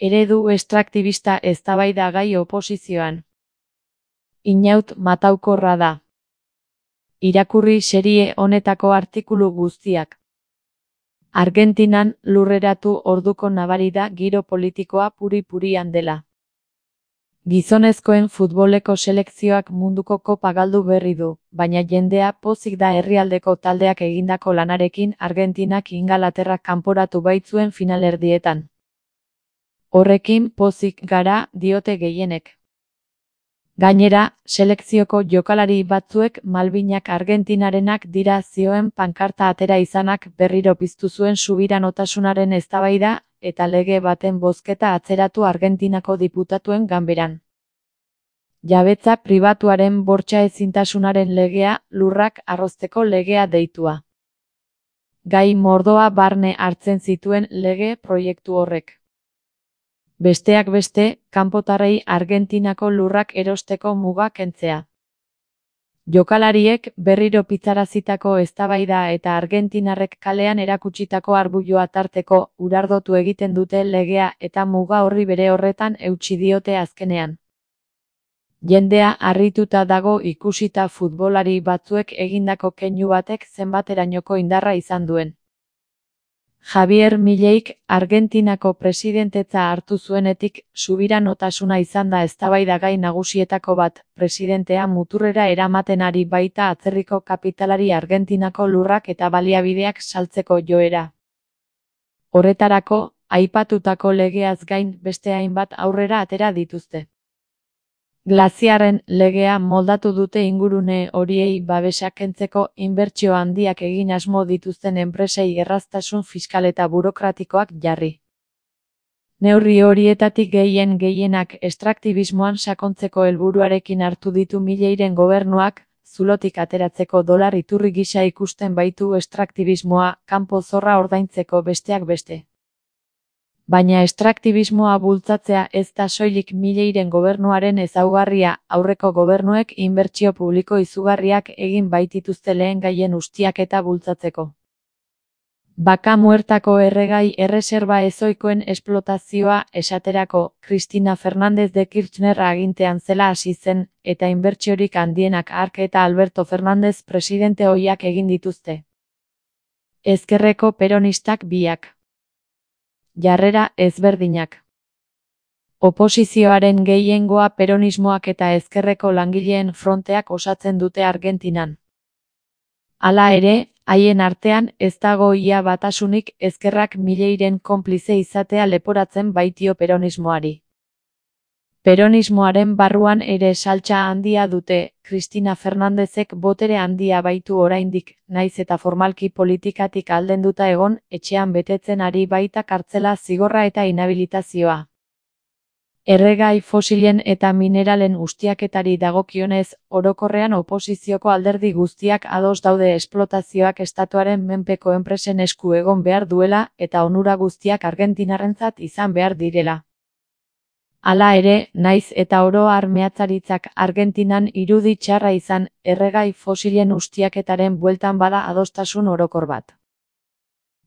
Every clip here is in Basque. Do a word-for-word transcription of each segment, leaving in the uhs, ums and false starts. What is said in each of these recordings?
Eredu estraktibista eztabaidagai oposizioan. Inaut mataukorra da. Irakurri serie honetako artikulu guztiak. Argentinan lurreratu orduko nabari da giro politikoa puri-purian dela. Gizonezkoen futboleko selekzioak munduko kopa galdu berri du, baina jendea pozik da herrialdeko taldeak egindako lanarekin Argentinak Ingalaterrak kanporatu baitzuen finalerdietan. Horrekin pozik gara, diote gehienek. Gainera, selekzioko jokalari batzuek Malvinak Argentinarenak dira zioen pankarta atera izanak berriro piztu zuen subiranotasunaren eztabaida eta lege baten bozketa atzeratu Argentinako diputatuen ganberan. Jabetza pribatuaren bortxa ezintasunaren legea, lurrak arrozteko legea deitua. Gai mordoa barne hartzen zituen lege proiektu horrek. Besteak beste, kanpotarrei Argentinako lurrak erosteko muga kentzea. Jokalariek berriro pitzarazitako eztabaida eta argentinarrek kalean erakutsitako arbuioa tarteko urardotu egiten dute legea eta muga horri bere horretan eutsi diote azkenean. Jendea harrituta dago ikusita futbolari batzuek egindako keinu batek zenbaterainoko indarra izan duen. Javier Mileik Argentinako presidentetza hartu zuenetik subiranotasuna izan da eztabaidagai nagusietako bat, presidentea muturrera eramaten ari baita atzerriko kapitalari Argentinako lurrak eta baliabideak saltzeko joera. Horretarako, aipatutako legeaz gain beste hainbat aurrera atera dituzte. Glaziarren legea moldatu dute ingurune horiei babesa kentzeko inbertsio handiak egin asmo dituzten enpresei erraztasun fiskal eta burokratikoak jarri. Neurri horietatik gehien gehienak estraktibismoan sakontzeko helburuarekin hartu ditu Mileiren gobernuak, zulotik ateratzeko dolar iturri gisa ikusten baitu estraktibismoa, kanpo zorra ordaintzeko besteak beste. Baina estraktibismoa bultzatzea ez da soilik Mileiren gobernuaren ezaugarria, aurreko gobernuek inbertsio publiko izugarriak egin baitituzte lehen gaien ustiaketa bultzatzeko. Baka muertako erregai erreserba ezoikoen esplotazioa esaterako, Cristina Fernández de Kirchner agintean zela hasi zen, eta inbertsiorik handienak hark eta Alberto Fernández presidente ohiak egin dituzte. Ezkerreko peronistak biak. Jarrera ezberdinak. Oposizioaren gehiengoa peronismoak eta ezkerreko langileen fronteak osatzen dute Argentinan. Hala ere, haien artean ez dago ia batasunik ezkerrak Mileiren konplize izatea leporatzen baitio peronismoari. Peronismoaren barruan ere saltsa handia dute, Cristina Fernándezek botere handia baitu oraindik, naiz eta formalki politikatik aldenduta egon, etxean betetzen ari baita kartzela zigorra eta inhabilitazioa. Erregai fosilen eta mineralen ustiaketari dagokionez, orokorrean oposizioko alderdi guztiak ados daude esplotazioak estatuaren menpeko enpresen esku egon behar duela eta onura guztiak argentinarrentzat izan behar direla. Hala ere, naiz eta oro har meatzaritzak Argentinan irudi txarra izan, erregai fosilen ustiaketaren bueltan bada adostasun orokor bat.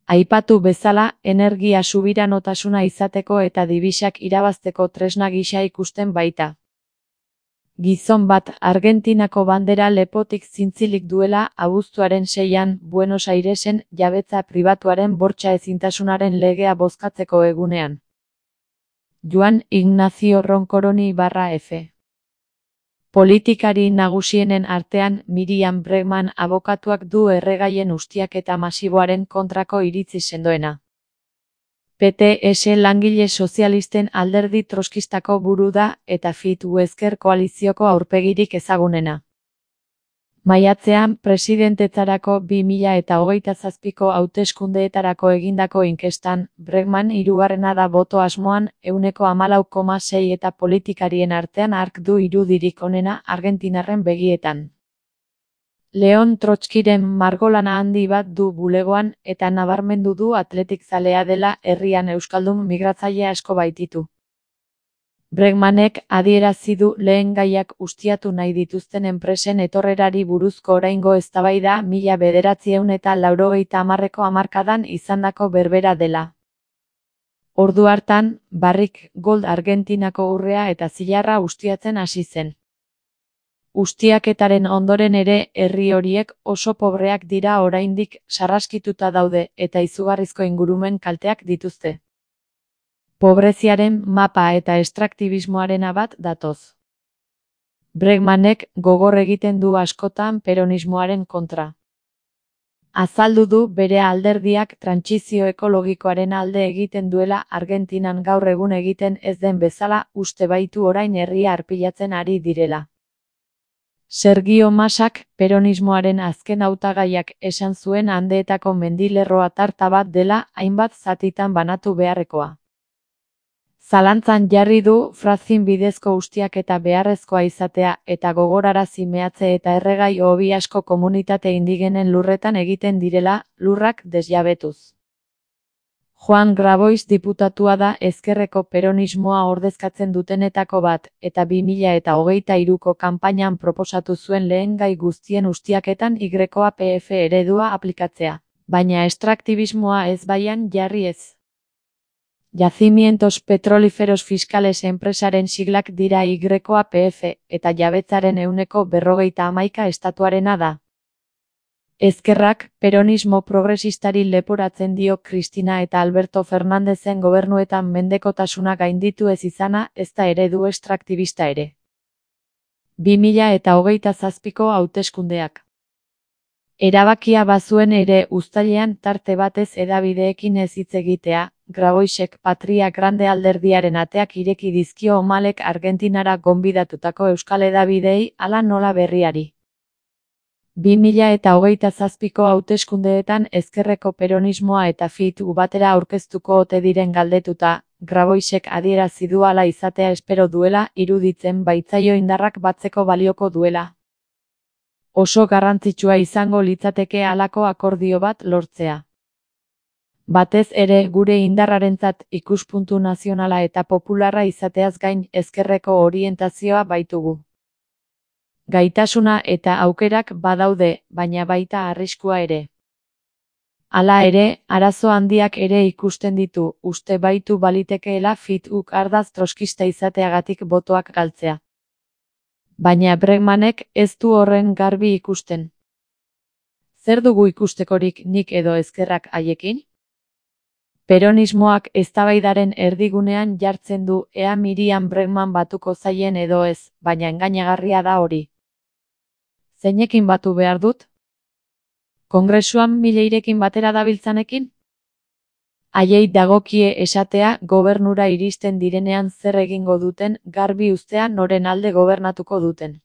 Aipatu bezala, energia subiranotasuna izateko eta dibisak irabazteko tresna gisa ikusten baita. Gizon bat Argentinako bandera lepotik zintzilik duela abuztuaren seian Buenos Airesen jabetza pribatuaren bortxa ezintasunaren legea bozkatzeko egunean. Juan Ignacio Roncoroni barra F. Politikari nagusienen artean Miriam Bregman abokatuak du erregaien ustiaketa masiboaren kontrako iritzi sendoena. P T S langile sozialisten alderdi troskistako buru da eta Fitu ezker koalizioko aurpegirik ezagunena. Maiatzean presidentetzarako bi mila eta hogeita zazpiko hauteskundeetarako egindako inkestan, Bregman hirugarrena da boto asmoan, ehuneko hamalau koma sei eta politikarien artean hark du irudirik onena argentinarren begietan. Leon Trotskiren margolana handi bat du bulegoan eta nabarmendu du atletik zalea dela herrian euskaldun migratzaile asko baititu. Bregmanek adierazi du lehen gaiak ustiatu nahi dituzten enpresen etorrerari buruzko oraingo eztabaida mila bederatziehun eta laurogeita hamarreko hamarkadan izandako berbera dela. Ordu hartan, Barrick Gold Argentinako urrea eta zilarra ustiatzen hasi zen. Ustiaketaren ondoren ere herri horiek oso pobreak dira oraindik sarraskituta daude eta izugarrizko ingurumen kalteak dituzte. Pobreziaren mapa eta estraktibismoarena bat datoz. Bregmanek gogor egiten du askotan peronismoaren kontra. Azaldu du bere alderdiak trantsizio ekologikoaren alde egiten duela Argentinan gaur egun egiten ez den bezala uste baitu orain herria arpilatzen ari direla. Sergio Masak peronismoaren azken hautagaiak esan zuen Andeetako mendilerroa tarta bat dela hainbat zatitan banatu beharrekoa. Zalantzan jarri du fracking bidezko ustiaketa beharrezkoa izatea eta gogorarazi meatze eta erregai hobi asko komunitate indigenen lurretan egiten direla, lurrak desjabetuz. Juan Grabois diputatua da ezkerreko peronismoa ordezkatzen dutenetako bat, eta bi mila eta hogeita hiruko kanpainan proposatu zuen lehen gai guztien ustiaketan Y P F eredua aplikatzea, baina estraktibismoa ez baian jarri ez. Yacimientos Petrolíferos Fiscales enpresaren siglak dira Y P F, eta jabetzaren ehuneko berrogeita hamaika estatuarena da. Ezkerrak, peronismo progresistari leporatzen dio Cristina eta Alberto Fernandezen gobernuetan mendekotasuna gainditu ez izana, ez da eredu estraktibista ere. bi mila eta hogeita zazpiko hauteskundeak. Erabakia bazuen ere uztailean tarte batez hedabideekin ez hitz egitea, Graboisek Patria Grande alderdiaren ateak ireki dizkio Omalek Argentinara gonbidatutako euskal hedabideei hala nola berriari. bi mila eta hogeita zazpiko hauteskundeetan ezkerreko peronismoa eta F I T U batera aurkeztuko ote diren galdetuta, Graboisek adierazi du hala izatea espero duela, iruditzen baitzaio indarrak batzeko balioko duela. Oso garrantzitsua izango litzateke halako akordio bat lortzea. Batez ere gure indarrarentzat ikuspuntu nazionala eta popularra izateaz gain ezkerreko orientazioa baitugu. Gaitasuna eta aukerak badaude, baina baita arriskua ere. Hala ere, arazo handiak ere ikusten ditu, uste baitu balitekeela F I T Uk ardaz troskista izateagatik botoak galtzea. Baina Bregmanek ez du horren garbi ikusten. Zer dugu ikustekorik nik edo ezkerrak haiekin? Peronismoak eztabaidaren erdigunean jartzen du ea Miriam Bregman batuko zaien edo ez, baina engainagarria da hori. Zeinekin batu behar dut? Kongresuan Milleirekin batera dabiltzanekin? Haiei dagokie esatea gobernura iristen direnean zer egingo duten, garbi uztea noren alde gobernatuko duten.